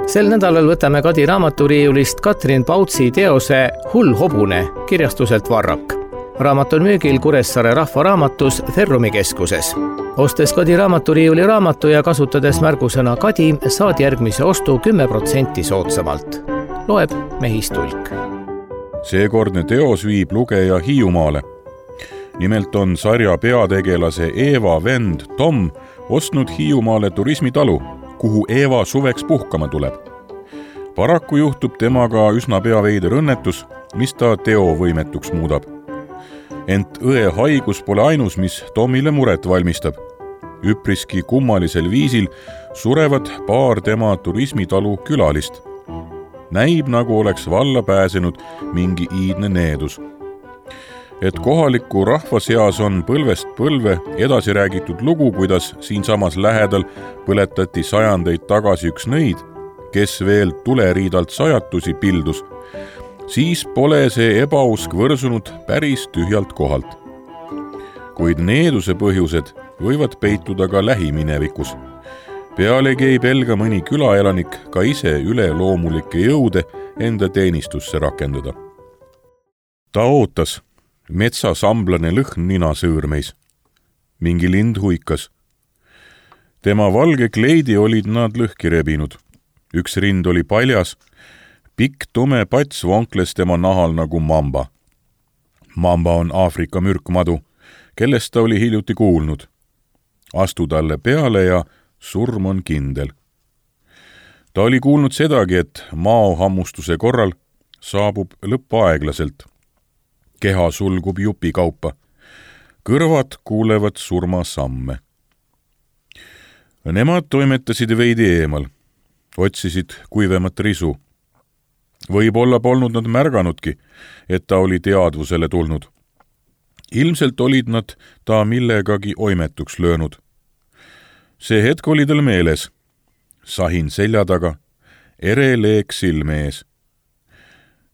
Sel nädalal võtame Kadi raamaturiiulist Katrin Pautsi teose Hull hobune kirjastuselt Varrak. Raamat on müügil Kuressaare Rahvaraamatus Ferrumi keskuses. Ostes Kadi raamaturiiuli raamatu ja kasutades märgusõna Kadi, saad järgmise ostu 10% soodsamalt. Loeb Mehis Tulk. Seekordne teos viib lugeja Hiiumaale. Nimelt on sarja peategelase Eeva vend Tom ostnud Hiiumaale turismitalu, kuhu Eeva suveks puhkama tuleb. Paraku juhtub temaga üsna pea veider õnnetus, mis ta teovõimetuks muudab. Ent õe haigus pole ainus, mis Tomile muret valmistab. Üpriski kummalisel viisil surevad paar tema turismitalu külalist. Näib, nagu oleks valla pääsenud mingi iidne needus. Et kohaliku rahva seas on põlvest põlve edasi räägitud lugu, kuidas siinsamas lähedal põletati sajandeid tagasi üks nõid, kes veel tuleriidalt sajatusi pildus, siis pole see ebausk võrsunud päris tühjalt kohalt. Kuid needuse põhjused võivad peituda ka lähiminevikus. Pealegi ei pelga mõni külaelanik ka ise üleloomulikke jõude enda teenistusse rakendada. Ta ootas. Metsasamblane lõhn nina sõõrmeis. Mingi lind huikas. Tema valge kleidi olid nad lõhki rebinud. Üks rind oli paljas. Pikk tume pats vonkles tema nahal nagu mamba. Mamba on Aafrika mürkmadu, kellest ta oli hiljuti kuulnud. Astu talle peale ja surm on kindel. Ta oli kuulnud sedagi, et maohammustuse korral saabub lõpp aeglaselt. Keha sulgub jupi kaupa. Kõrvad kuulevad surmasamme. Nemad toimetasid veidi eemal. Otsisid kuivemat risu. Võib-olla polnud nad märganudki, et ta oli teadvusele tulnud. Ilmselt olid nad ta millegagi oimetuks löönud. See hetk oli tal meeles. Sahin selja taga, ere leek silme ees.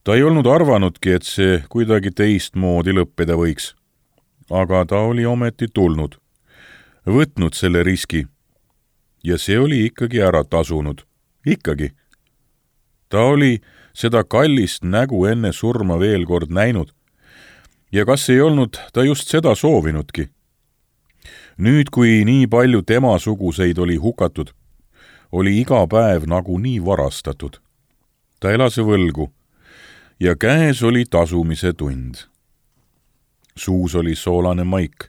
Ta ei olnud arvanudki, et see kuidagi teistmoodi lõppeda võiks. Aga ta oli ometi tulnud. Võtnud selle riski. Ja see oli ikkagi ära tasunud. Ikkagi. Ta oli seda kallist nägu enne surma veel kord näinud. Ja kas ei olnud ta just seda soovinudki? Nüüd, kui nii palju tema suguseid oli hukatud, oli iga päev nagu nii varastatud. Ta elas võlgu. Ja käes oli tasumise tund. Suus oli soolane maik,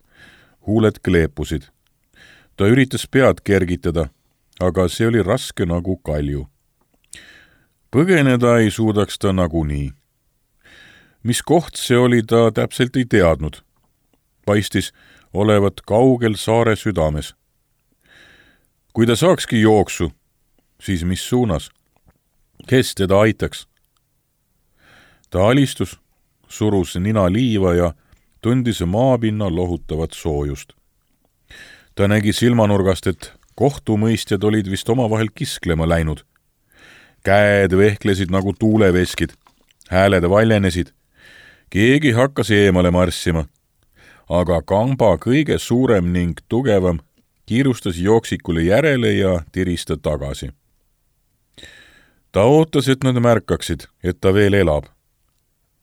huuled kleepusid. Ta üritas pead kergitada, aga see oli raske nagu kalju. Põgeneda ei suudaks ta nagunii. Mis koht see oli, ta täpselt ei teadnud. Paistis olevat kaugel saare südames. Kui ta saakski jooksu, siis mis suunas? Kes teda aitaks? Ta alistus, surus nina liiva ja tundis maapinna lohutavat soojust. Ta nägi silmanurgast, et kohtumõistjad olid vist omavahel kisklema läinud. Käed vehklesid nagu tuuleveskid, hääled valjenesid. Keegi hakkas eemale marssima, aga kamba kõige suurem ning tugevam kiirustas jooksikule järele ja tirista tagasi. Ta ootas, et nad märkaksid, et ta veel elab.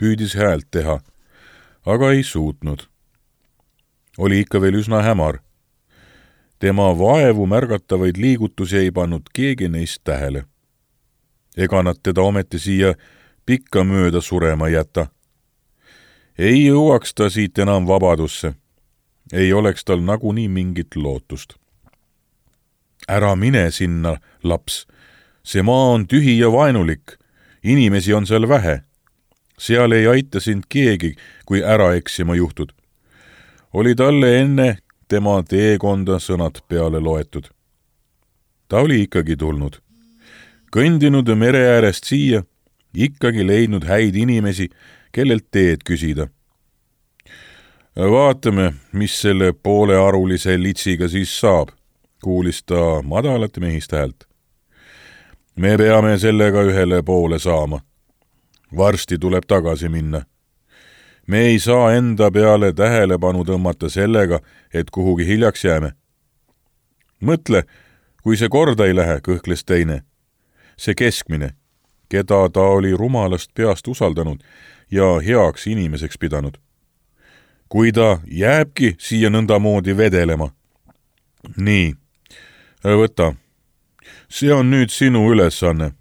Püüdis häält teha, aga ei suutnud. Oli ikka veel üsna hämar. Tema vaevu märgatavaid liigutusi ei pannud keegi neist tähele. Ega nad teda ometi siia pikka mööda surema jäta. Ei jõuaks ta siit enam vabadusse. Ei oleks tal nagunii mingit lootust. Ära mine sinna, laps. See maa on tühi ja vaenulik. Inimesi on seal vähe. Seal ei aita sind keegi, kui ära eksima juhtud. Oli talle enne tema teekonda sõnad peale loetud. Ta oli ikkagi tulnud. Kõndinud mere äärest siia, ikkagi leidnud häid inimesi, kellelt teed küsida. Vaatame, mis selle poolearulise litsiga siis saab, kuulis ta madalat mehist häält. Me peame sellega ühele poole saama. Varsti tuleb tagasi minna. Me ei saa enda peale tähelepanu tõmmata sellega, et kuhugi hiljaks jääme. Mõtle, kui see korda ei lähe, kõhkles teine. See keskmine, keda ta oli rumalast peast usaldanud ja heaks inimeseks pidanud. Kui ta jääbki siia nõndamoodi vedelema. Nii, võta. See on nüüd sinu ülesanne,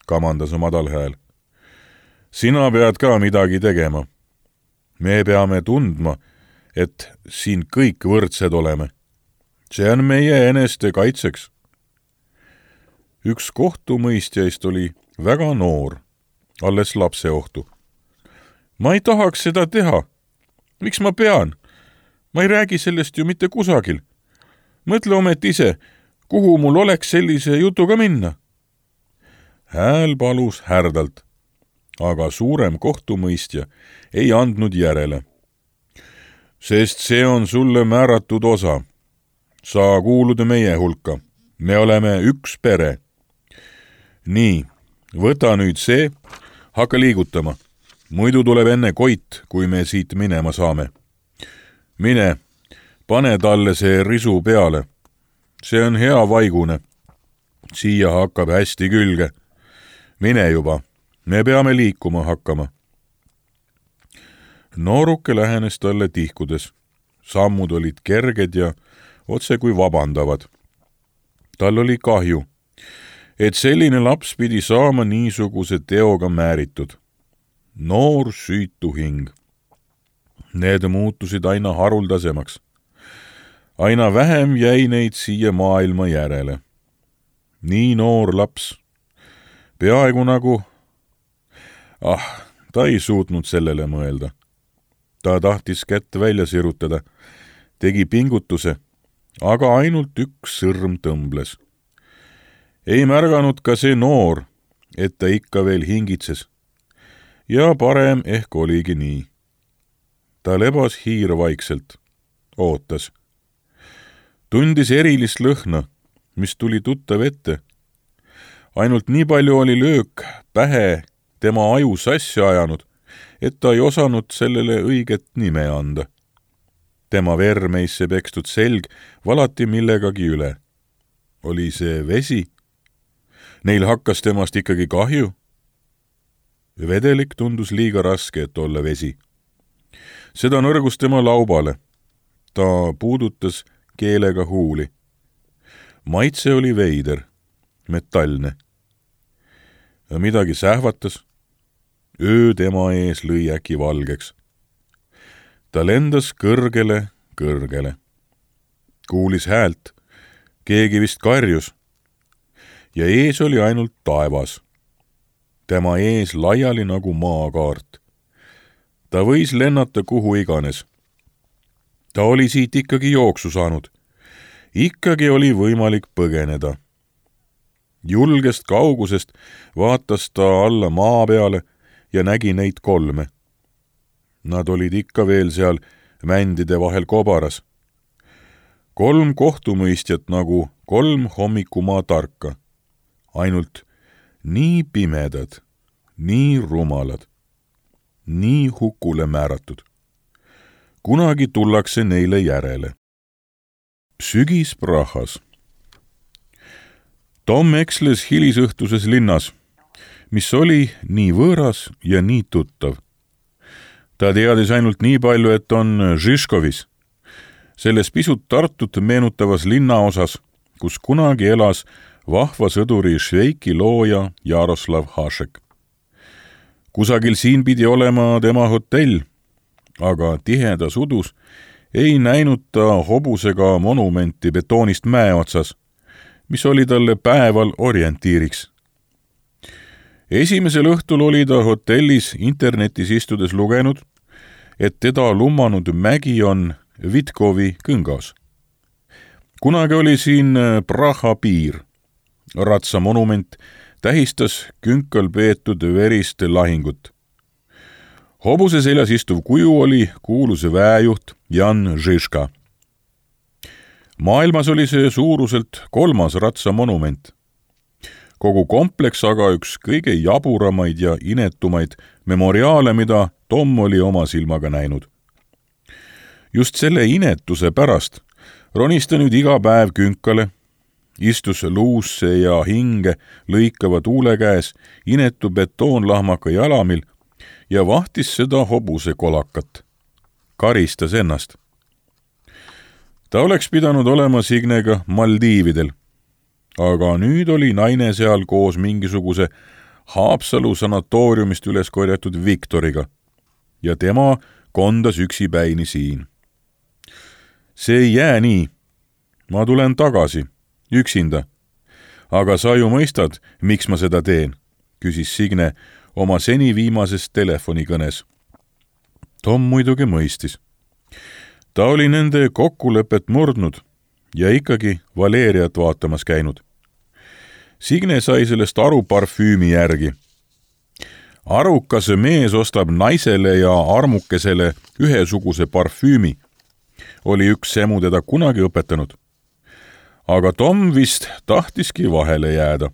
kamandas madal hääl. Sina pead ka midagi tegema. Me peame tundma, et siin kõik võrdsed oleme. See on meie eneste kaitseks. Üks kohtumõistjaist oli väga noor, alles lapseohtu. Ma ei tahaks seda teha. Miks ma pean? Ma ei räägi sellest ju mitte kusagil. Mõtle omet ise, kuhu mul oleks sellise jutuga minna. Hääl palus härdalt, aga suurem kohtumõistja ei andnud järele. Sest see on sulle määratud osa. Sa kuulud meie hulka. Me oleme üks pere. Nii, võta nüüd see, hakka liigutama. Muidu tuleb enne Koit, kui me siit minema saame. Mine, pane talle see risu peale. See on hea vaigune. Siia hakkab hästi külge. Mine juba, me peame liikuma hakkama. Nooruke lähenes talle tihkudes. Sammud olid kerged ja otse kui vabandavad. Tal oli kahju, et selline laps pidi saama niisuguse teoga määritud. Noor süütu hing. Need muutusid aina haruldasemaks. Aina vähem jäi neid siia maailma järele. Nii noor laps. Peaaegu nagu... ta ei suutnud sellele mõelda. Ta tahtis kätt välja sirutada, tegi pingutuse, aga ainult üks sõrm tõmbles. Ei märganud ka see noor, et ta ikka veel hingitses. Ja parem ehk oligi nii. Ta lebas hiirvaikselt, ootas. Tundis erilist lõhna, mis tuli tuttav ette. Ainult nii palju oli löök pähe tema aju sassi ajanud, et ta ei osanud sellele õiget nime anda. Tema vermeisse pekstud selg valati millegagi üle. Oli see vesi? Neil hakkas temast ikkagi kahju? Vedelik tundus liiga raske, et olla vesi. Seda nõrgus tema laubale. Ta puudutas keelega huuli. Maitse oli veider, metallne. Midagi sähvatas. Öö tema ees lõi äkki valgeks. Ta lendas kõrgele. Kuulis häält. Keegi vist karjus. Ja ees oli ainult taevas. Tema ees laiali nagu maakaart. Ta võis lennata kuhu iganes. Ta oli siit ikkagi jooksu saanud. Ikkagi oli võimalik põgeneda. Julgest kaugusest vaatas ta alla maa peale ja nägi neid 3. Nad olid ikka veel seal mändide vahel kobaras. 3 kohtumõistjat nagu 3 hommikumaa tarka. Ainult nii pimedad, nii rumalad, nii hukule määratud. Kunagi tullakse neile järele. Sügis Prahas. Tom eksles hilisõhtuses linnas, mis oli nii võõras ja nii tuttav. Ta teadis ainult nii palju, et on Žižkovis, selles pisut Tartut meenutavas linnaosas, kus kunagi elas vahva sõduri Šveiki looja Jaroslav Hašek. Kusagil siin pidi olema tema hotell, aga tihedas udus ei näinud ta hobusega monumenti betoonist mäe otsas, mis oli talle päeval orientiiriks. Esimesel õhtul oli ta hotellis internetis istudes lugenud, et teda lummanud mägi on Vitkovi kõngas. Kunagi oli siin Praha piir. Ratsamonument tähistas künkal peetud verist lahingut. Hobuse seljas istuv kuju oli kuulus väejuht Jan Žižka. Maailmas oli see suuruselt 3. ratsamonument. Kogu kompleks aga üks kõige jaburamaid ja inetumaid memoriaale, mida Tom oli oma silmaga näinud. Just selle inetuse pärast ronis ta nüüd iga päev künkale istus luusse ja hinge lõikava tuule käes inetu betoonlahmaka jalamil ja vahtis seda hobuse kolakat. Karistas ennast. Ta oleks pidanud olema Signega Maldiividel, aga nüüd oli naine seal koos mingisuguse Haapsalu sanatooriumist üles korjatud Viktoriga ja tema kondas üksipäini siin. See ei jää nii. Ma tulen tagasi, üksinda. Aga sa ju mõistad, miks ma seda teen, küsis Signe oma seni viimases telefonikõnes. Tom muidugi mõistis. Ta oli nende kokkulepet murdnud ja ikkagi Valeriat vaatamas käinud. Signe sai sellest aru parfüümi järgi. Arukas mees ostab naisele ja armukesele ühesuguse parfüümi, oli üks semu teda kunagi õpetanud. Aga Tom vist tahtiski vahele jääda.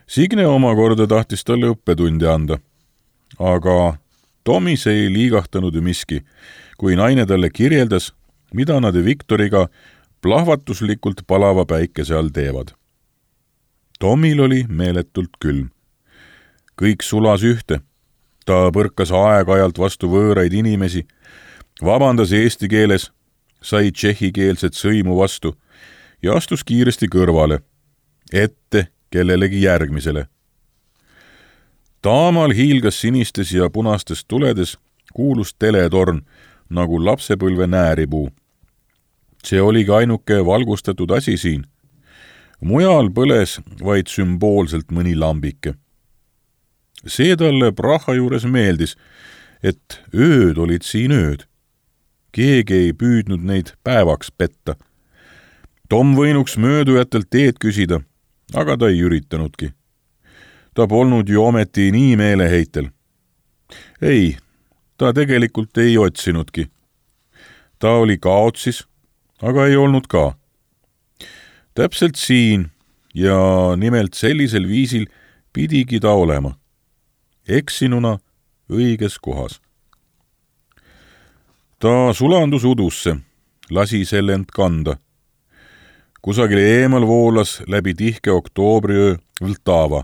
Signe omakorda tahtis talle õppetundi anda, aga Tomis ei liigahtanud miski, kui naine talle kirjeldas, mida nad Viktoriga plahvatuslikult palava päikese all teevad. Tomil oli meeletult külm. Kõik sulas ühte. Ta põrkas aeg-ajalt vastu võõraid inimesi, vabandas eesti keeles, sai tšehhikeelset sõimu vastu ja astus kiiresti kõrvale, ette kellelegi järgmisele. Taamal hiilgas sinistes ja punastes tuledes kuulus teletorn nagu lapsepõlve nääripuu. See oligi ainuke valgustatud asi siin. Mujal põles vaid sümboolselt mõni lambike. See talle Praha juures meeldis, et ööd olid siin ööd. Keegi ei püüdnud neid päevaks petta. Tom võinuks möödujatelt teed küsida, aga ta ei üritanudki. Ta polnud ju ometi nii meeleheitel. Ei, ta tegelikult ei otsinudki. Ta oli kaotsis, aga ei olnud ka. Täpselt siin ja nimelt sellisel viisil pidigi ta olema. Eksinuna õiges kohas. Ta sulandus udusse, lasi selle end kanda. Kusagil eemal voolas läbi tihke oktoobriöö Vltava.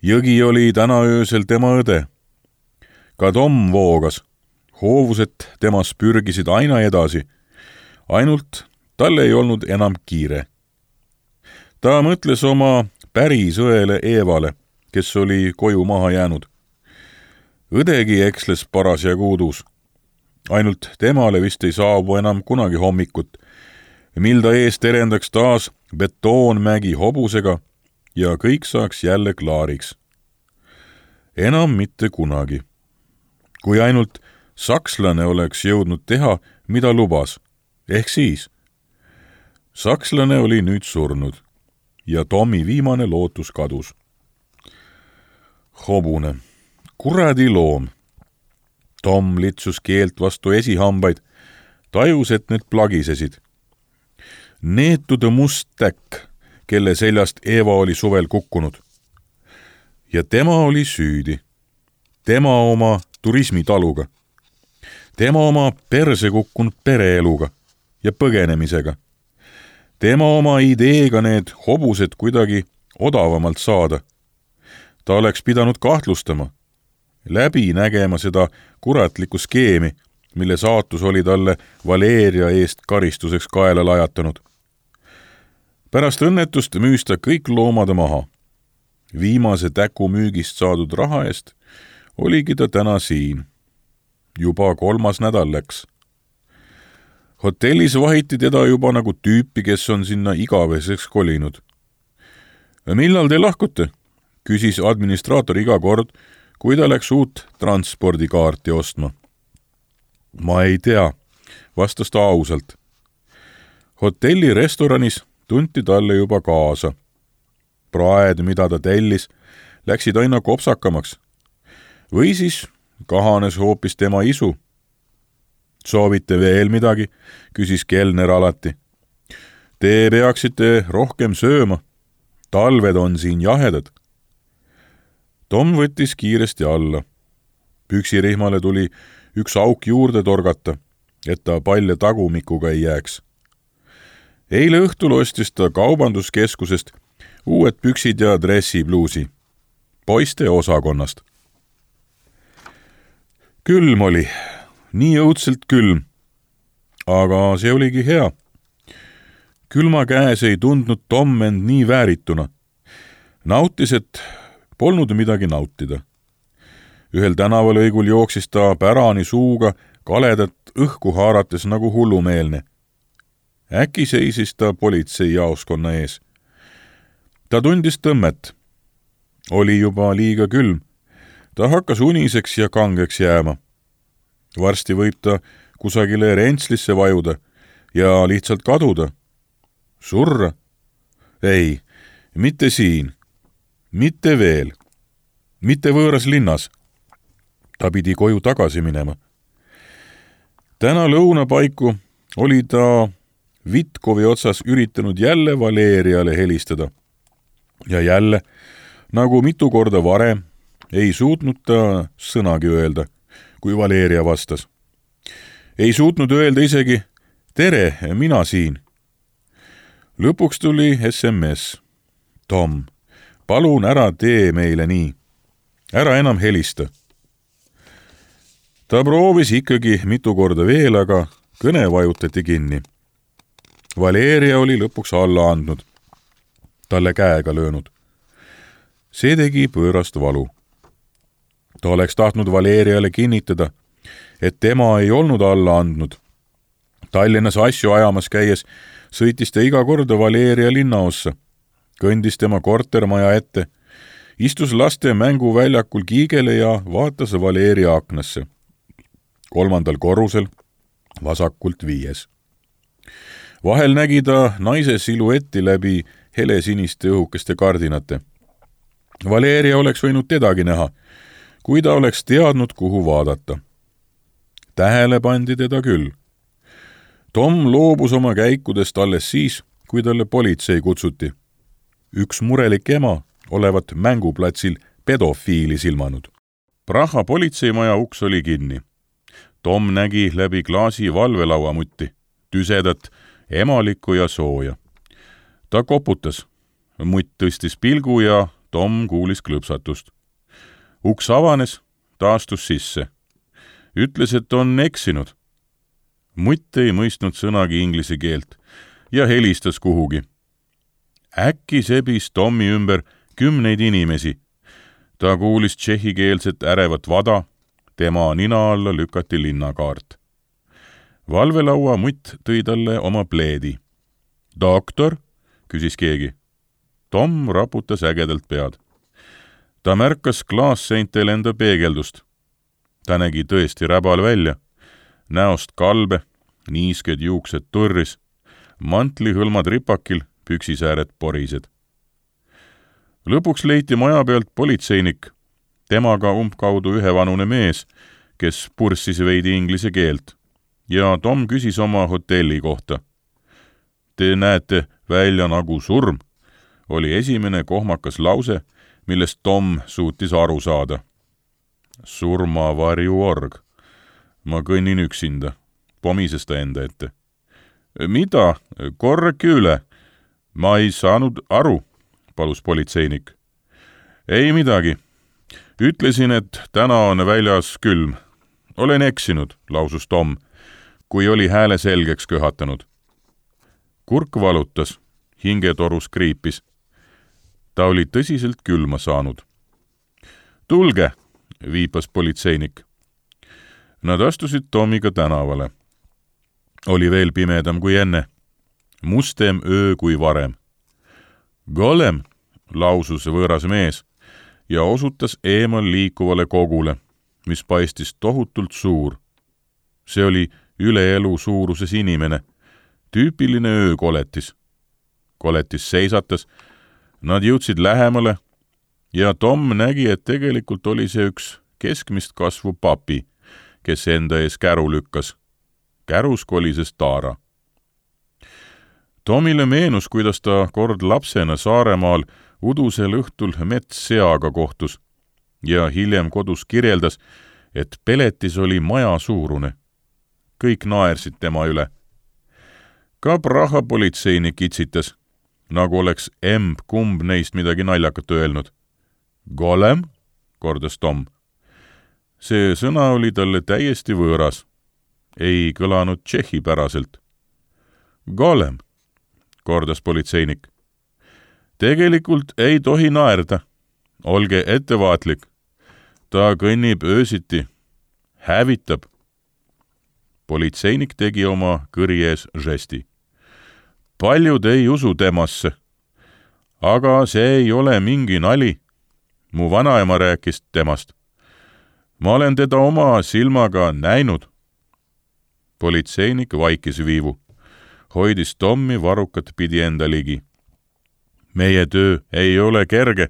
Jõgi oli täna öösel tema õde. Ka Tom voogas. Hoovused temas pürgisid aina edasi. Ainult talle ei olnud enam kiire. Ta mõtles oma päris õele Eevale, kes oli koju maha jäänud. Õdegi eksles parasjagu udus. Ainult temale vist ei saabu enam kunagi hommikut, mil ta ees terendaks taas betoonmägi hobusega ja kõik saaks jälle klaariks. Enam mitte kunagi. Kui ainult sakslane oleks jõudnud teha, mida lubas, ehk siis. Sakslane oli nüüd surnud ja Tomi viimane lootus kadus. Hobune, kuradi loom. Tom litsus keelt vastu esihambaid, tajus, et need plagisesid. Neetude must täkk, kelle seljast Eeva oli suvel kukkunud. Ja tema oli süüdi. Tema oma turismitaluga. Tema oma perse kukkunud pereeluga ja põgenemisega. Tema oma ideega need hobused kuidagi odavamalt saada. Ta oleks pidanud kahtlustama, läbi nägema seda kuratlikku skeemi, mille saatus oli talle Valeria eest karistuseks kaela lajatanud. Pärast õnnetust müüs ta kõik loomad maha. Viimase täku müügist saadud raha eest oligi ta täna siin. Juba 3. nädal läks. Hotellis vahiti teda juba nagu tüüpi, kes on sinna igaveseks kolinud. Millal te lahkute? Küsis administraator iga kord, kui ta läks uut transpordikaarti ostma. Ma ei tea, vastas ta ausalt. Hotelli restoranis tunti talle juba kaasa. Praed, mida ta tellis, läksid aina kopsakamaks. Või siis kahanes hoopis tema isu. Soovite veel midagi, küsis kelner alati. Te peaksite rohkem sööma. Talved on siin jahedad. Tom võttis kiiresti alla. Püksirihmale tuli üks auk juurde torgata, et ta palja tagumikuga ei jääks. Eile õhtul ostis ta kaubanduskeskusest uued püksid ja dressipluusi poiste osakonnast. Külm oli, nii õudselt külm, aga see oligi hea. Külma käes ei tundnud Tom end nii väärituna. Nautis, et polnud midagi nautida. Ühel tänavalõigul jooksis ta pärani suuga kaledat õhku haarates nagu hullumeelne. Äkki seisis ta politseijaoskonna ees. Ta tundis tõmmet. Oli juba liiga külm. Ta hakkas uniseks ja kangeks jääma. Varsti võib ta kusagile rentslisse vajuda ja lihtsalt kaduda. Surra? Ei, mitte siin. Mitte veel. Mitte võõras linnas. Ta pidi koju tagasi minema. Täna lõunapaiku oli ta Vitkovi otsas üritanud jälle Valeriale helistada. Ja jälle, nagu mitu korda varem, ei suutnud ta sõnagi öelda, kui Valeria vastas. Ei suutnud öelda isegi, tere, mina siin. Lõpuks tuli SMS. Tom, palun ära tee meile nii. Ära enam helista. Ta proovis ikkagi mitu korda veel, aga kõne vajutati kinni. Valeria oli lõpuks alla andnud. Talle käega löönud. See tegi pöörast valu. Ta oleks tahtnud Valeriale kinnitada, et tema ei olnud alla andnud. Tallinnas asju ajamas käies sõitis ta iga korda Valeria linnaossa, kõndis tema kortermaja ette, istus laste mänguväljakul kiigele ja vaatas Valeria aknasse. 3. korrusel, vasakult 5. Vahel nägi ta naise siluetti läbi helesiniste õhukeste kardinate. Valeria oleks võinud tedagi näha, kui ta oleks teadnud, kuhu vaadata. Tähele pandi teda küll. Tom loobus oma käikudest alles siis, kui talle politsei kutsuti. Üks murelik ema olevat mänguplatsil pedofiili silmanud. Praha politseimaja uks oli kinni. Tom nägi läbi klaasi valvelauamutti, tüsedat, emalikku ja sooja. Ta koputas. Mutt tõstis pilgu ja Tom kuulis klõpsatust. Uks avanes, ta astus sisse. Ütles, et on eksinud. Mutt ei mõistnud sõnagi inglise keelt ja helistas kuhugi. Äkki sebis Tommi ümber 10 inimesi. Ta kuulis tšehhikeelset ärevat vada, tema nina alla lükati linnakaart. Valvelaua mutt tõi talle oma pleedi. Doktor? Küsis keegi. Tom raputas ägedalt pead. Ta märkas klaasseintel enda peegeldust. Ta nägi tõesti räbal välja. Näost kalbe, niisked juuksed turris, mantlihõlmad ripakil, püksisääred porised. Lõpuks leiti maja pealt politseinik, temaga umbkaudu ühevanune mees, kes purssis veidi inglise keelt, ja Tom küsis oma hotelli kohta. Te näete välja nagu surm, oli esimene kohmakas lause, millest Tom suutis aru saada. Surmavarjuorg. Ma kõnnin üksinda, pomises ta enda ette. Mida? Korrake üle. Ma ei saanud aru, palus politseinik. Ei midagi. Ütlesin, et täna on väljas külm. Olen eksinud, lausus Tom, kui oli hääle selgeks köhatanud. Kurk valutas, hingetorus kriipis. Ta oli tõsiselt külma saanud. Tulge, viipas politseinik. Nad astusid Tomiga tänavale. Oli veel pimedam kui enne. Mustem öö kui varem. Golem, lausus võõras mees ja osutas eemal liikuvale kogule, mis paistis tohutult suur. See oli üle elu suuruses inimene, tüüpiline öökoletis. Koletis seisatas, nad jõudsid lähemale ja Tom nägi, et tegelikult oli see üks keskmist kasvu papi, kes enda ees käru lükkas. Kärus kolises taara. Tomile meenus, kuidas ta kord lapsena Saaremaal udusel õhtul metsseaga kohtus ja hiljem kodus kirjeldas, et peletis oli maja suurune. Kõik naersid tema üle. Ka Praha politseinik itsitas, nagu oleks kumb neist midagi naljakat öelnud. Golem, kordas Tom. See sõna oli talle täiesti võõras. Ei kõlanud tšehhipäraselt. Golem, kordas politseinik. Tegelikult ei tohi naerda. Olge ettevaatlik. Ta kõnnib öösiti. Hävitab. Politseinik tegi oma kõri ees žesti. Paljud ei usu temasse. Aga see ei ole mingi nali. Mu vanaema rääkis temast. Ma olen teda oma silmaga näinud. Politseinik vaikis viivu. Hoidis Tommi varukat pidi enda ligi. Meie töö ei ole kerge.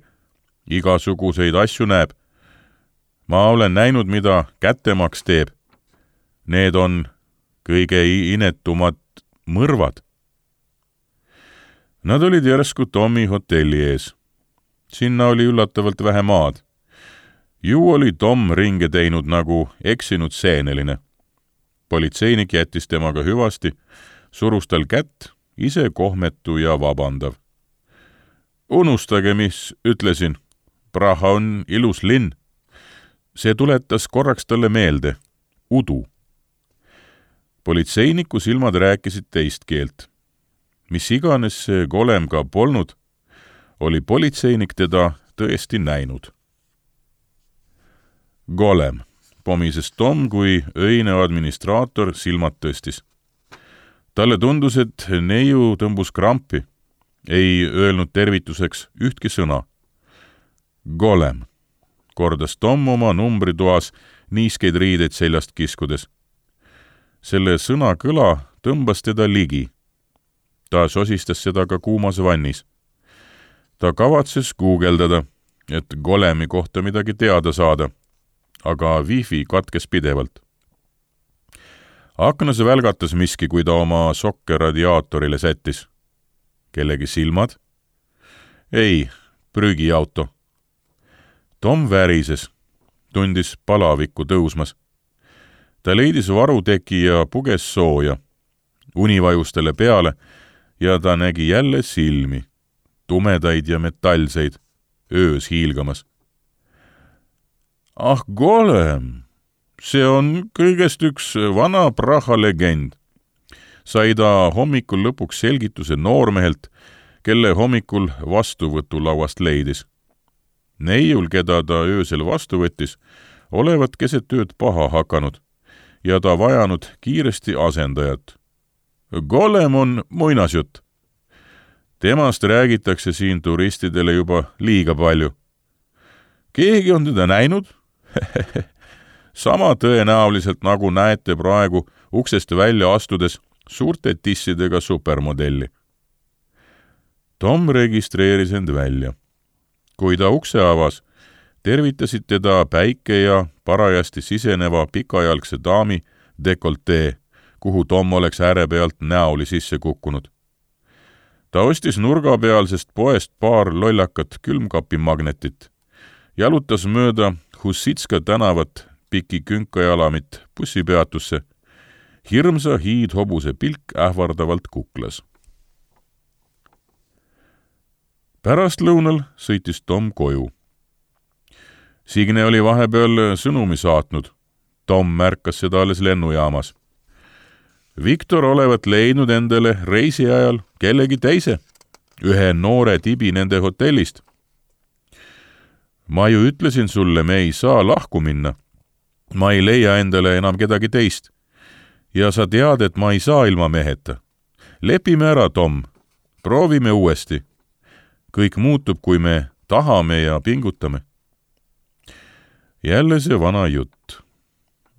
Igasuguseid asju näeb. Ma olen näinud, mida kättemaks teeb. Need on kõige inetumad mõrvad. Nad olid järsku Tommi hotelli ees. Sinna oli üllatavalt vähe maad. Ju oli Tom ringe teinud nagu eksinud seeneline. Politseinik jättis temaga hüvasti, surus tal kätt, ise kohmetu ja vabandav. Unustage, mis ütlesin. Praha on ilus linn. See tuletas korraks talle meelde. Udu. Politseiniku silmad rääkisid teist keelt. Mis iganes see golem ka polnud, oli politseinik teda tõesti näinud. Golem, pomises Tom, kui öine administraator silmad tõstis. Talle tundus, et neiu tõmbus krampi. Ei öelnud tervituseks ühtki sõna. Golem, kordas Tom oma numbritoas niiskeid riideid seljast kiskudes. Selle sõna kõla tõmbas teda ligi. Ta sosistas seda ka kuumas vannis. Ta kavatses guugeldada, et golemi kohta midagi teada saada, aga wifi katkes pidevalt. Aknas välgatas miski, kui ta oma sokke radiaatorile sättis. Kellegi silmad? Ei, prügiauto. Tom värises, tundis palavikku tõusmas. Ta leidis varuteki ja puges sooja. Uni vajus talle peale ja ta nägi jälle silmi, tumedaid ja metallseid, öös hiilgamas. Ah, golem! See on kõigest üks vana Praha legend. Sai ta hommikul lõpuks selgituse noormehelt, kelle hommikul vastuvõtulauast leidis. Neiul, keda ta öösel vastu võttis, olevat keset ööd paha hakanud ja ta vajanud kiiresti asendajat. Golem on muinasjutt. Temast räägitakse siin turistidele juba liiga palju. Keegi on teda näinud? Sama tõenäoliselt, nagu näete praegu uksest välja astudes suurte tissidega supermodelli. Tom registreeris end välja. Kui ta ukse avas, tervitasid teda päike ja parajasti siseneva pikajalgse daami dekoltee, kuhu Tom oleks ääre pealt näoli sisse kukkunud. Ta ostis nurgapealsest poest paar lollakat külmkapimagnetit, jalutas mööda Hussitska tänavat piki künkajalamit bussipeatusse, hirmsa hiidhobuse pilk ähvardavalt kuklas. Pärastlõunal sõitis Tom koju. Signe oli vahepeal sõnumi saatnud. Tom märkas seda alles lennujaamas. Viktor olevat leidnud endale reisi ajal kellegi teise, ühe noore tibi nende hotellist. Ma ju ütlesin sulle, me ei saa lahku minna. Ma ei leia endale enam kedagi teist. Ja sa tead, et ma ei saa ilma meheta. Lepime ära, Tom. Proovime uuesti. Kõik muutub, kui me tahame ja pingutame. Jälle see vana jutt.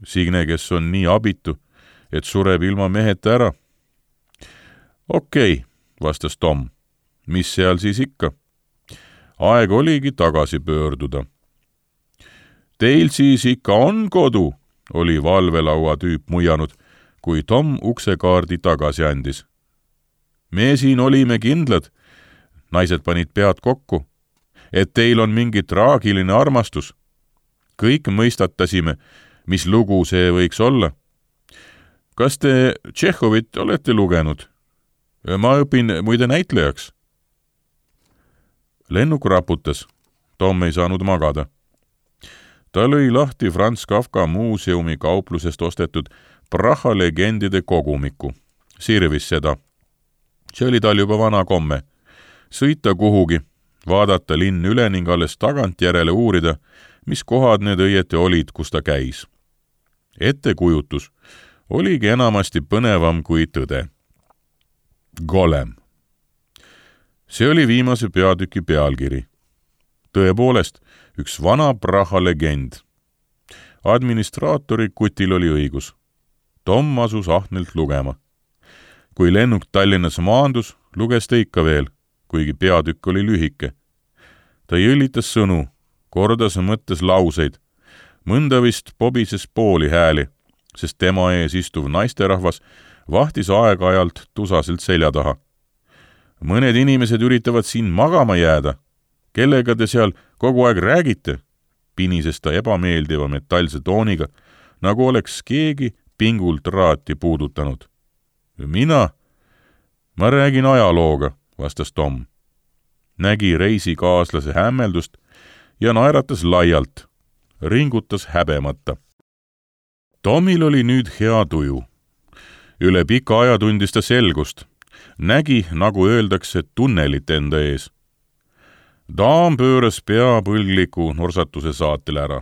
Signe, kes on nii abitu, et sureb ilma meheta ära. Okei, vastas Tom. Mis seal siis ikka? Aeg oligi tagasi pöörduda. Teil siis ikka on kodu, oli valvelaua tüüp muianud, kui Tom uksekaardi tagasi andis. Me siin olime kindlad, naised panid pead kokku, et teil on mingi traagiline armastus. Kõik mõistatasime, mis lugu see võiks olla. Kas te Tšehhovit olete lugenud? Ma õpin muide näitlejaks. Lennuk raputas. Tom ei saanud magada. Ta lõi lahti Franz Kafka muuseumi kauplusest ostetud Praha legendide kogumiku. Sirvis seda. See oli tal juba vana komme. Sõita kuhugi, vaadata linn üle ning alles tagantjärele uurida, mis kohad need õieti olid, kus ta käis. Ettekujutus oligi enamasti põnevam kui tõde. Golem. See oli viimase peatüki pealkiri. Tõepoolest, üks vana Praha legend. Administraatori kutil oli õigus. Tom asus ahnelt lugema. Kui lennuk Tallinnas maandus, luges ta ikka veel, kuigi peatükk oli lühike. Ta jõllitas sõnu, kordas mõttes lauseid. Mõnda vist pobises pooli hääli, sest tema ees istuv naisterahvas vahtis aeg-ajalt tusaselt selja taha. Mõned inimesed üritavad siin magama jääda. Kellega te seal kogu aeg räägite? Pinises ta ebameeldiva metallse tooniga, nagu oleks keegi pingult raati puudutanud. Ma räägin ajalooga, vastas Tom. Nägi reisikaaslase hämmeldust ja naeratas laialt, ringutas häbemata. Tomil oli nüüd hea tuju. Üle pika aja tundis ta selgust. Nägi, nagu öeldakse, tunnelit enda ees. Daam pööras pea põlgliku norsatuse saatel ära.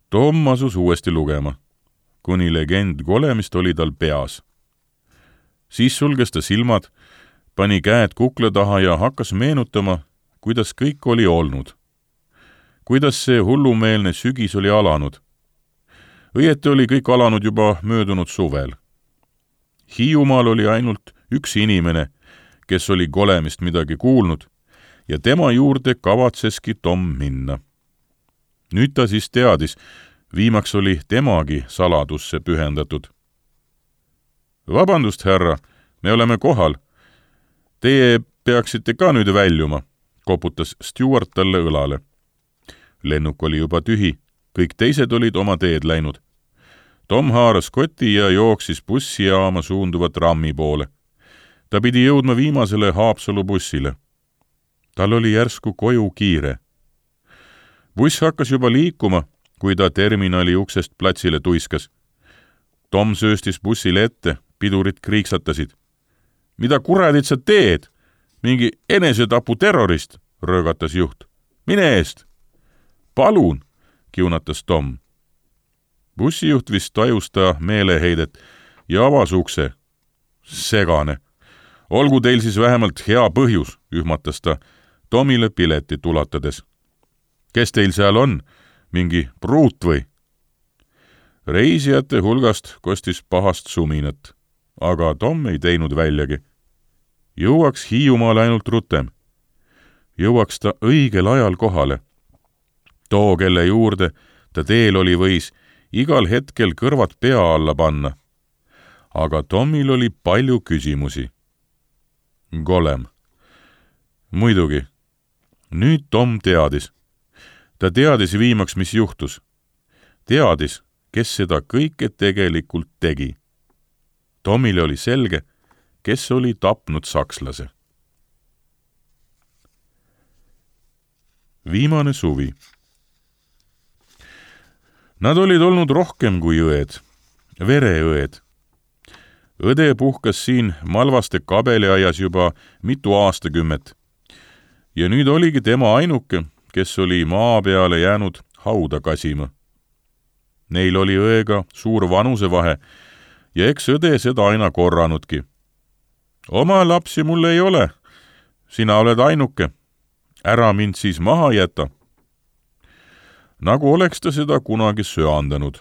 Tom asus uuesti lugema, kuni legend golemist oli tal peas. Siis sulges ta silmad, pani käed kukla taha ja hakkas meenutama, kuidas kõik oli olnud. Kuidas see hullumeelne sügis oli alanud. Õieti oli kõik alanud juba möödunud suvel. Hiiumaal oli ainult üks inimene, kes oli golemist midagi kuulnud, ja tema juurde kavatseski Tom minna. Nüüd ta siis teadis, viimaks oli temagi saladusse pühendatud. Vabandust, härra, me oleme kohal. Teie peaksite ka nüüd väljuma, koputas Stewart talle õlale. Lennuk oli juba tühi, kõik teised olid oma teed läinud. Tom haaras koti ja jooksis bussijaama suunduva trammi poole. Ta pidi jõudma viimasele Haapsalu bussile. Tal oli järsku koju kiire. Buss hakkas juba liikuma, kui ta terminali uksest platsile tuiskas. Tom sööstis bussile ette, pidurid kriiksatasid. Mida kuradit sa teed? Mingi enesetapu terrorist, röögatas juht. Mine eest! Palun, kiunatas Tom. Bussijuht vist tajus ta meeleheidet ja avas ukse. Segane. Olgu teil siis vähemalt hea põhjus, ühmatas ta Tomile piletit ulatades. Kes teil seal on? Mingi pruut või? Reisijate hulgast kostis pahast suminat, aga Tom ei teinud väljagi. Jõuaks Hiiumaale ainult rutem. Jõuaks ta õigel ajal kohale. Too, kelle juurde ta teel oli, võis igal hetkel kõrvad pea alla panna. Aga Tomil oli palju küsimusi. Golem. Muidugi. Nüüd Tom teadis. Ta teadis viimaks, mis juhtus. Teadis, kes seda kõike tegelikult tegi. Tomile oli selge, kes oli tapnud sakslase. Viimane suvi. Nad olid olnud rohkem kui õed, vereõed. Õde puhkas siin Malvaste kabeliaias juba mitu aastakümmet. Ja nüüd oligi tema ainuke, kes oli maa peale jäänud hauda kasima. Neil oli õega suur vanusevahe ja eks õde seda aina korranudki. Oma lapsi mul ei ole, sina oled ainuke, ära mind siis maha jäta. Nagu oleks ta seda kunagi söandanud,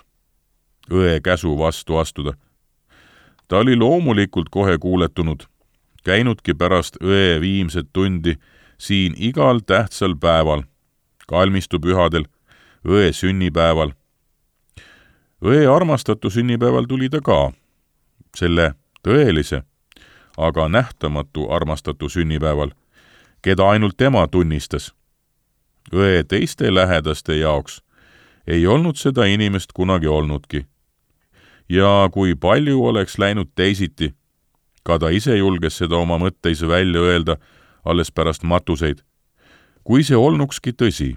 õe käsu vastu astuda. Ta oli loomulikult kohe kuuletunud, käinudki pärast õe viimset tundi siin igal tähtsal päeval, kalmistupühadel, õe sünnipäeval. Õe armastatu sünnipäeval tuli ta ka, selle tõelise, aga nähtamatu armastatu sünnipäeval, keda ainult tema tunnistas. Õe teiste lähedaste jaoks ei olnud seda inimest kunagi olnudki. Ja kui palju oleks läinud teisiti, Ka ta ise julges seda oma mõtteis välja öelda alles pärast matuseid. Kui see olnukski tõsi,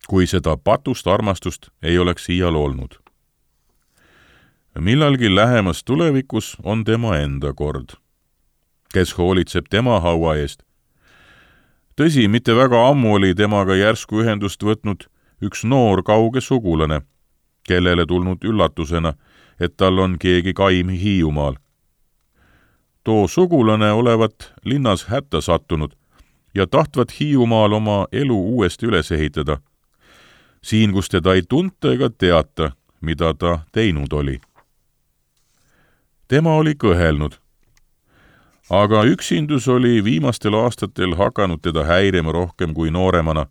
kui seda patust armastust ei oleks iial olnud. Millalgi lähemas tulevikus on tema enda kord, kes hoolitseb tema haua eest. Tõsi, mitte väga ammu oli temaga järsku ühendust võtnud üks noor kauge sugulane, kellele tulnud üllatusena, et tal on keegi kaim Hiiumaal. Too sugulane olevat linnas hätta sattunud ja tahtvat Hiiumaal oma elu uuesti üles ehitada. Siin, kus teda ei tunta ega teata, mida ta teinud oli. Tema oli kõhelnud, aga üksindus oli viimastel aastatel hakanud teda häirima rohkem kui nooremana.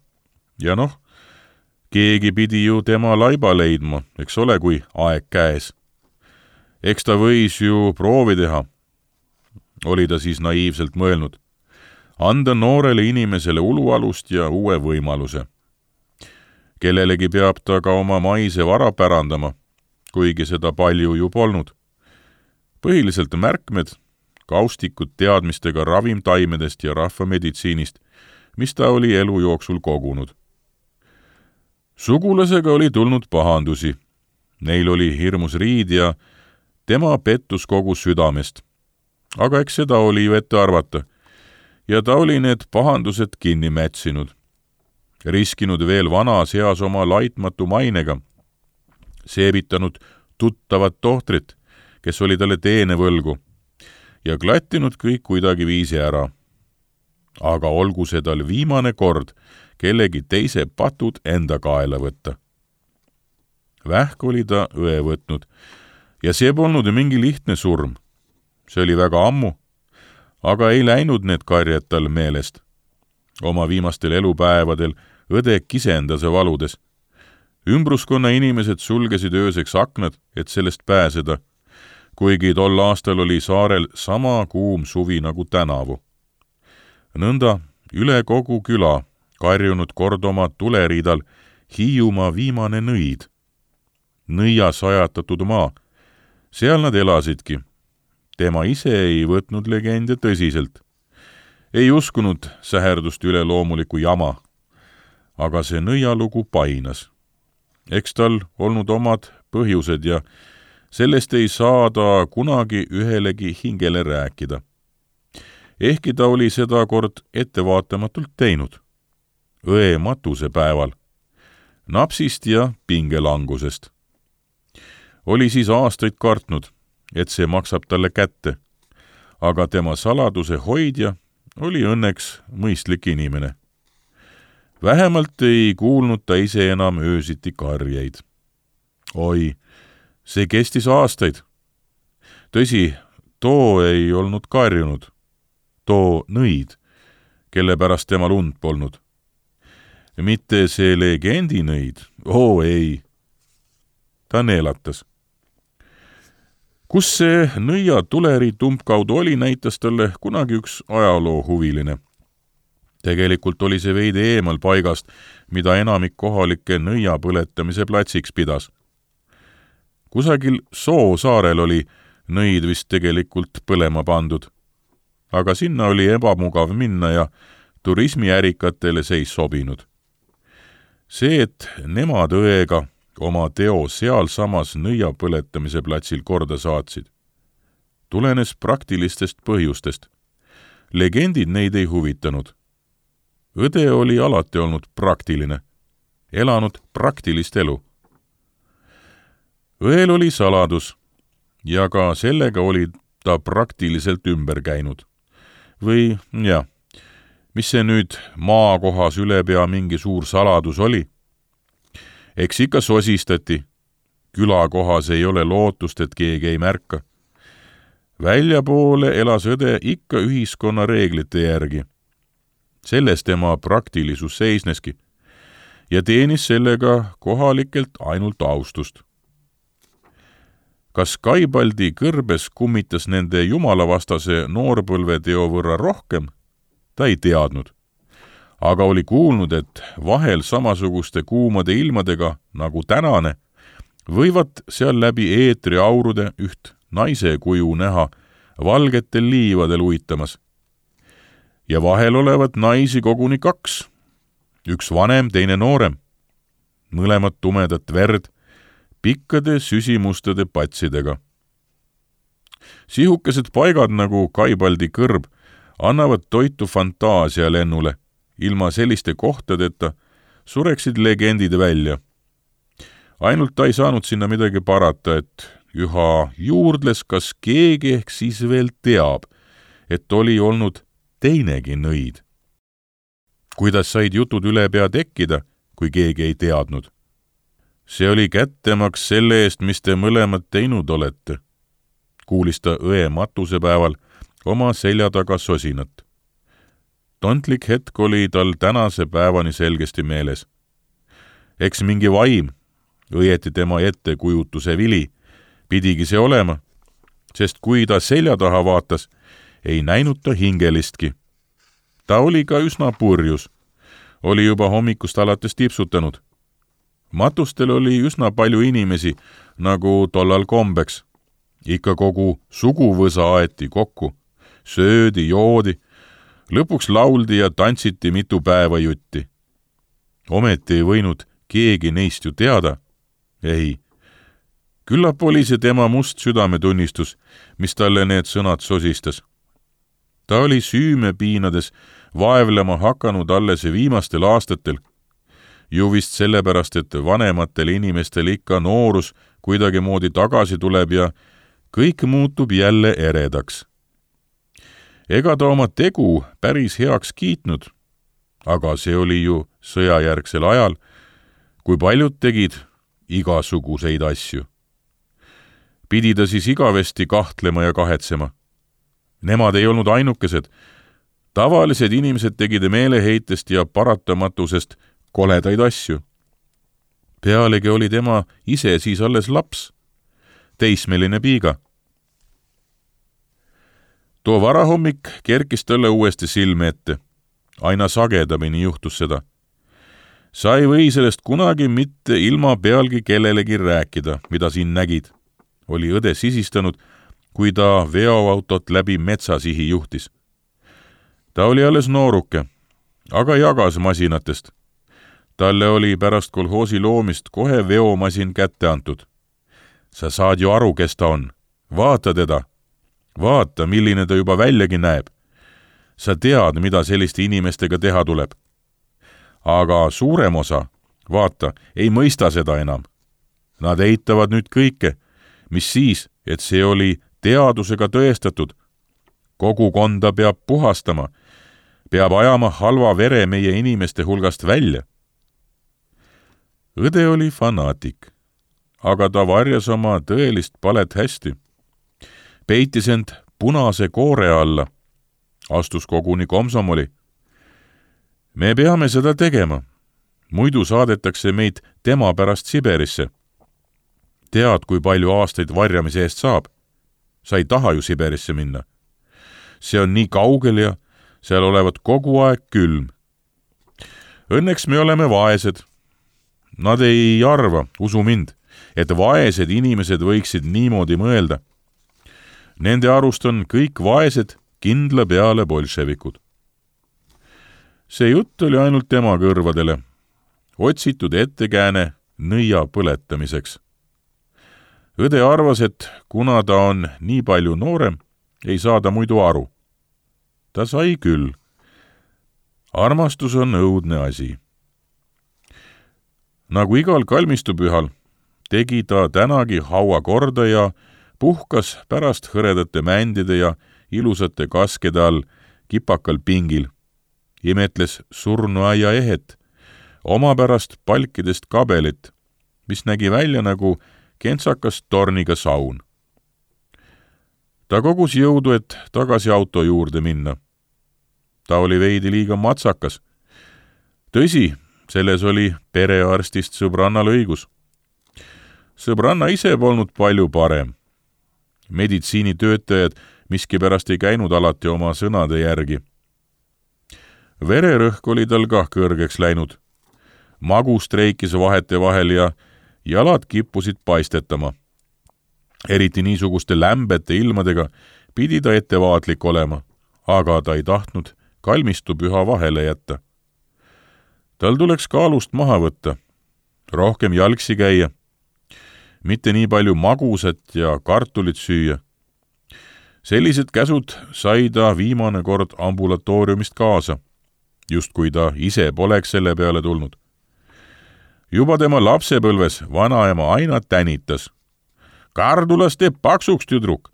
Ja keegi pidi ju tema laiba leidma, eks ole, kui aeg käes. Eks ta võis ju proovi teha, oli ta siis naiivselt mõelnud. Anda noorele inimesele ulualust ja uue võimaluse. Kellelegi peab ta ka oma maise vara pärandama, kuigi seda palju ju polnud. Põhiliselt märkmed, kaustikud teadmistega ravimtaimedest ja rahvameditsiinist, mis ta oli elu jooksul kogunud. Sugulasega oli tulnud pahandusi. Neil oli hirmus riid ja tema pettus kogu südamest. Aga eks seda oli ju ette arvata. Ja ta oli need pahandused kinni mätsinud. Riskinud veel vanas eas oma laitmatu mainega. Seebitanud tuttavat tohtrit, kes oli talle teene võlgu, ja klattinud kõik kuidagi viisi ära. Aga olgu see tal viimane kord kellegi teise patud enda kaela võtta. Vähk oli ta õe võtnud ja see polnud mingi lihtne surm. See oli väga ammu, aga ei läinud need karjad tal meelest. Oma viimastel elupäevadel õde kisendas valudes. Ümbruskonna inimesed sulgesid ööseks aknad, et sellest pääseda, kuigi tol aastal oli saarel sama kuum suvi nagu tänavu. Nõnda üle kogu küla karjunud kord oma tuleriidal Hiiumaa viimane nõid. Nõia sajatatud maa. Seal nad elasidki. Tema ise ei võtnud legende tõsiselt. Ei uskunud säherdust üle loomuliku jama. Aga see nõialugu painas. Eks tal olnud omad põhjused ja sellest ei saa ta kunagi ühelegi hingele rääkida. Ehkki ta oli seda kord ettevaatamatult teinud. Õe matuse päeval. Napsist ja pingelangusest. Oli siis aastaid kartnud, et see maksab talle kätte. Aga tema saladuse hoidja oli õnneks mõistlik inimene. Vähemalt ei kuulnud ta ise enam öösiti karjeid. Oi, see kestis aastaid. Tõsi, too ei olnud karjunud. Too nõid, kelle pärast temal und polnud. Mitte see legendi nõid, ei. Ta neelatas. Kus see nõia tuleri tumpkaudu oli, näitas talle kunagi üks ajaloohuviline. Tegelikult oli see veidi eemal paigast, mida enamik kohalikke nõia põletamise platsiks pidas. Kusagil Soosaarel oli nõid vist tegelikult põlema pandud. Aga sinna oli ebamugav minna ja turismiärikatele see ei sobinud. See, et nemad õega oma teo sealsamas nõia põletamise platsil korda saatsid, tulenes praktilistest põhjustest. Legendid neid ei huvitanud. Õde oli alati olnud praktiline, elanud praktilist elu. Õel oli saladus ja ka sellega oli ta praktiliselt ümber käinud. Või, mis see nüüd maakohas ülepea mingi suur saladus oli? Eks ikka sosistati. Külakohas ei ole lootust, et keegi ei märka. Väljapoole elas õde ikka ühiskonna reeglite järgi. Selles tema praktilisus seisneski ja teenis sellega kohalikelt ainult austust. Kas Kaibaldi kõrbes kummitas nende jumalavastase noorpõlveteo võrra rohkem? Ta ei teadnud. Aga oli kuulnud, et vahel samasuguste kuumade ilmadega nagu tänane võivad seal läbi eetri aurude üht naise kuju näha valgetel liivadel uitamas. Ja vahel olevat naisi koguni 2. Üks vanem, teine noorem. Mõlemad tumedat verd, pikkade süsimustade patsidega. Sihukesed paigad nagu Kaibaldi kõrb annavad toitu fantaasia lennule. Ilma selliste kohtadeta sureksid legendid välja. Ainult ta ei saanud sinna midagi parata, et üha juurdles, kas keegi ehk siis veel teab, et oli olnud teinegi nõid. Kuidas said jutud üle pea tekkida, kui keegi ei teadnud? See oli kättemaks selle eest, mis te mõlemad teinud olete, kuulis ta õe matusepäeval oma selja taga sosinat. Tontlik hetk oli tal tänase päevani selgesti meeles. Eks mingi vaim, õieti tema ettekujutuse vili, pidigi see olema, sest kui ta selja taha vaatas, ei näinud ta hingelistki. Ta oli ka üsna purjus, oli juba hommikust alates tipsutanud. Matustel oli üsna palju inimesi, nagu tollal kombeks. Ikka kogu suguvõsa aeti kokku, söödi, joodi, lõpuks lauldi ja tantsiti mitu päeva jutti. Ometi ei võinud keegi neist ju teada. Ei. Küllap oli see tema must südametunnistus, mis talle need sõnad sosistas. Ta oli süüme piinades vaevlema hakanud alles viimastel aastatel. Ju vist sellepärast, et vanematel inimestel ikka noorus kuidagi moodi tagasi tuleb ja kõik muutub jälle eredaks. Ega ta oma tegu päris heaks kiitnud, aga see oli ju sõjajärgsel ajal, kui paljud tegid igasuguseid asju. Pidi ta siis igavesti kahtlema ja kahetsema. Nemad ei olnud ainukesed. Tavalised inimesed tegid meeleheitest ja paratamatusest koledaid asju. Pealegi oli tema ise siis alles laps, teismeline piiga. Too varahommik kerkis talle uuesti silme ette. Aina sagedamini juhtus seda. Sa ei või sellest kunagi mitte ilma pealgi kellelegi rääkida, mida siin nägid, oli õde sisistanud, kui ta veoautot läbi metsasihi juhtis. Ta oli alles nooruke, aga jagas masinatest. Talle oli pärast kolhoosi loomist kohe veomasin kätte antud. Sa saad ju aru, kes ta on. Vaata teda. Vaata, milline ta juba väljagi näeb. Sa tead, mida selliste inimestega teha tuleb. Aga suurem osa, vaata, ei mõista seda enam. Nad eitavad nüüd kõike, mis siis, et see oli teadusega tõestatud. Kogukonda peab puhastama, peab ajama halva vere meie inimeste hulgast välja. Õde oli fanaatik, aga ta varjas oma tõelist palet hästi. Peitis end punase koore alla, astus koguni komsomoli. Me peame seda tegema, muidu saadetakse meid tema pärast Siberisse. Tead, kui palju aastaid varjamise eest saab? Sa ei taha ju Siberisse minna. See on nii kaugel ja seal olevat kogu aeg külm. Õnneks me oleme vaesed. Nad ei arva, usu mind, et vaesed inimesed võiksid niimoodi mõelda. Nende arust on kõik vaesed kindla peale bolševikud. See jutt oli ainult tema kõrvadele, otsitud ettekääne nõia põletamiseks. Õde arvas, et kuna ta on nii palju noorem, ei saa ta muidu aru. Ta sai küll. Armastus on õudne asi. Nagu igal kalmistupühal, tegi ta tänagi haua korda ja puhkas pärast hõredate mändide ja ilusate kaskede all kipakal pingil. Imetles surnuaia ehet, omapärast palkidest kabelit, mis nägi välja nagu kentsakas torniga saun. Ta kogus jõudu, et tagasi auto juurde minna. Ta oli veidi liiga matsakas. Tõsi, selles oli perearstist sõbrannal õigus. Sõbranna ise polnud palju parem. Meditsiinitöötajad miskipärast ei käinud alati oma sõnade järgi. Vererõhk oli tal kah kõrgeks läinud. Magu streikis vahete vahel ja jalad kippusid paistetama. Eriti niisuguste lämbete ilmadega pidi ta ettevaatlik olema, aga ta ei tahtnud kalmistupüha vahele jätta. Tal tuleks kaalust maha võtta, rohkem jalgsi käia, mitte nii palju magusat ja kartulit süüa. Sellised käsud sai ta viimane kord ambulatooriumist kaasa, just kui ta ise poleks selle peale tulnud. Juba tema lapsepõlves vanaema aina tänitas. Kardulast teeb paksuks, tüdruk.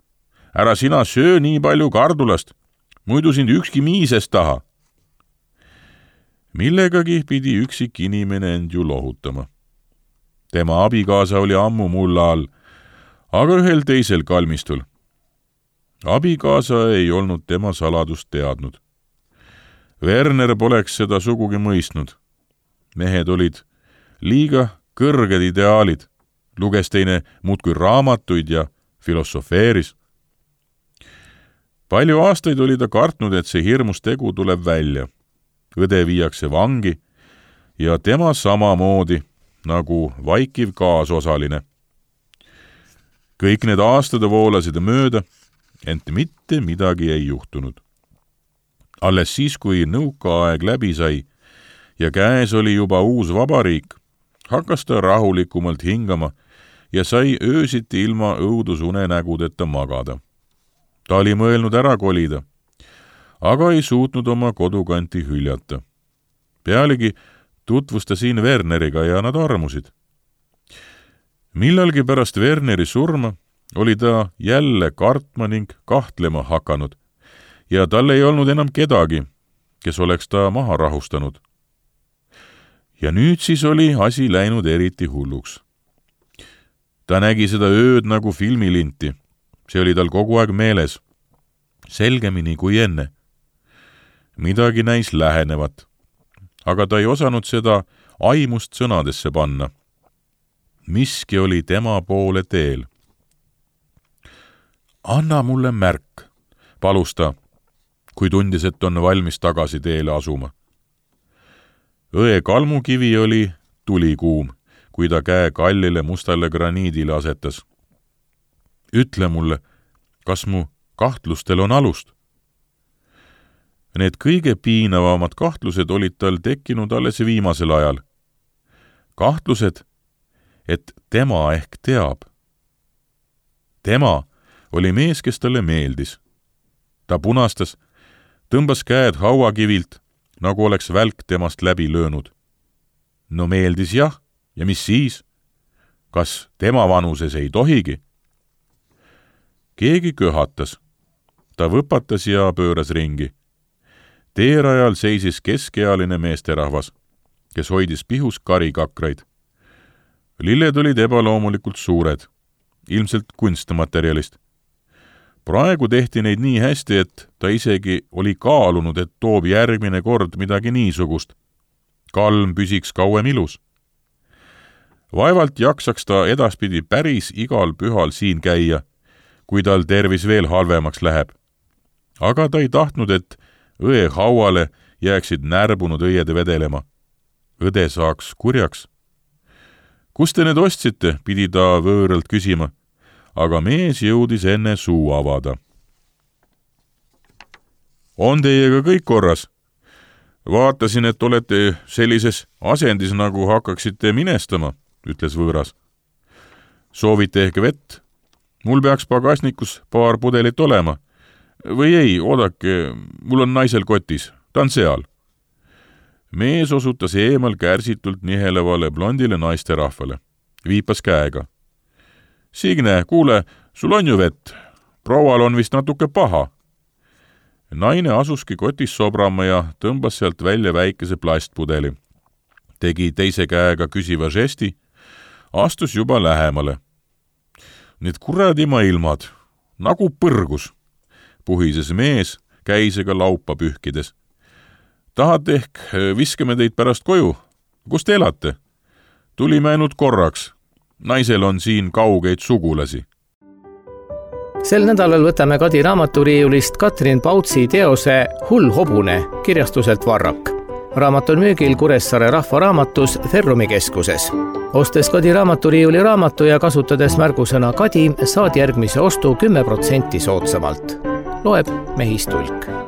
Ära sina söö nii palju kardulast, muidu sind ükski miises taha. Millegagi pidi üksik inimene end ju lohutama. Tema abikaasa oli ammu mulla all, aga ühel teisel kalmistul. Abikaasa ei olnud tema saladust teadnud. Werner poleks seda sugugi mõistnud. Mehed olid liiga kõrged ideaalid, luges teine muudkui raamatuid ja filosofeeris. Palju aastaid oli ta kartnud, et see hirmus tegu tuleb välja. Õde viiakse vangi ja tema samamoodi nagu vaikiv kaasosaline. Kõik need aastad voolasid mööda, ent mitte midagi ei juhtunud. Alles siis, kui nõukaaeg läbi sai ja käes oli juba uus vabariik, hakkas ta rahulikumalt hingama ja sai öösiti ilma õudusunenägudeta magada. Ta oli mõelnud ära kolida, aga ei suutnud oma kodukanti hüljata. Pealegi tutvus ta siin Werneriga ja nad armusid. Millalgi pärast Werneri surma oli ta jälle kartma ning kahtlema hakanud ja tal ei olnud enam kedagi, kes oleks ta maha rahustanud. Ja nüüd siis oli asi läinud eriti hulluks. Ta nägi seda ööd nagu filmilinti. See oli tal kogu aeg meeles, selgemini kui enne. Midagi näis lähenevat, aga ta ei osanud seda aimust sõnadesse panna. Miski oli tema poole teel. Anna mulle märk, palus ta, kui tundis, et on valmis tagasi teele asuma. Õe kalmukivi oli tulikuum, kui ta käe kallile mustale graniidile asetas. Ütle mulle, kas mu kahtlustel on alust? Need kõige piinavamad kahtlused olid tal tekkinud alles viimasel ajal. Kahtlused, et tema ehk teab. Tema oli mees, kes talle meeldis. Ta punastas, tõmbas käed hauakivilt, nagu oleks välk temast läbi löönud. No meeldis jah, ja mis siis? Kas tema vanuses ei tohigi? Keegi köhatas. Ta võpatas ja pööras ringi. Teerajal seisis keskealine meesterahvas, kes hoidis pihus karikakraid. Lilled olid ebaloomulikult suured, ilmselt kunstmaterjalist. Praegu tehti neid nii hästi, et ta isegi oli kaalunud, et toob järgmine kord midagi niisugust. Kalm püsiks kauem ilus. Vaevalt jaksaks ta edaspidi päris igal pühal siin käia, kui tal tervis veel halvemaks läheb. Aga ta ei tahtnud, et õe hauale jääksid närbunud õied vedelema. Õde saaks kurjaks. Kus te need ostsite, pidi ta võõralt küsima, aga mees jõudis enne suu avada. On teiega kõik korras? Vaatasin, et olete sellises asendis, nagu hakkaksite minestama, ütles võõras. Soovite ehk vett? Mul peaks pagasnikus paar pudelit olema. Või ei, oodake, mul on naisel kotis, ta on seal. Mees osutas eemal kärsitult nihelevale blondile naisterahvale. Viipas käega. Signe, kuule, sul on ju vett. Proual on vist natuke paha. Naine asuski kotis sobrama ja tõmbas sealt välja väikese plastpudeli. Tegi teise käega küsiva žesti, astus juba lähemale. Need kuradima ilmad, nagu põrgus, puhises mees käisega laupa pühkides. Tahate ehk viskame teid pärast koju? Kus te elate? Tulime ainult korraks. Naisel on siin kaugeid sugulasi. Sel nädalal võtame Kadi raamaturiiulist Katrin Pautsi teose Hull hobune kirjastuselt Varrak. Raamat on müügil Kuressaare Rahvaraamatus Ferrumi keskuses. Ostes Kadi raamaturiiuli raamatu ja kasutades märgusõna Kadi, saad järgmise ostu 10% soodsamalt. loeb Mehis Tulk.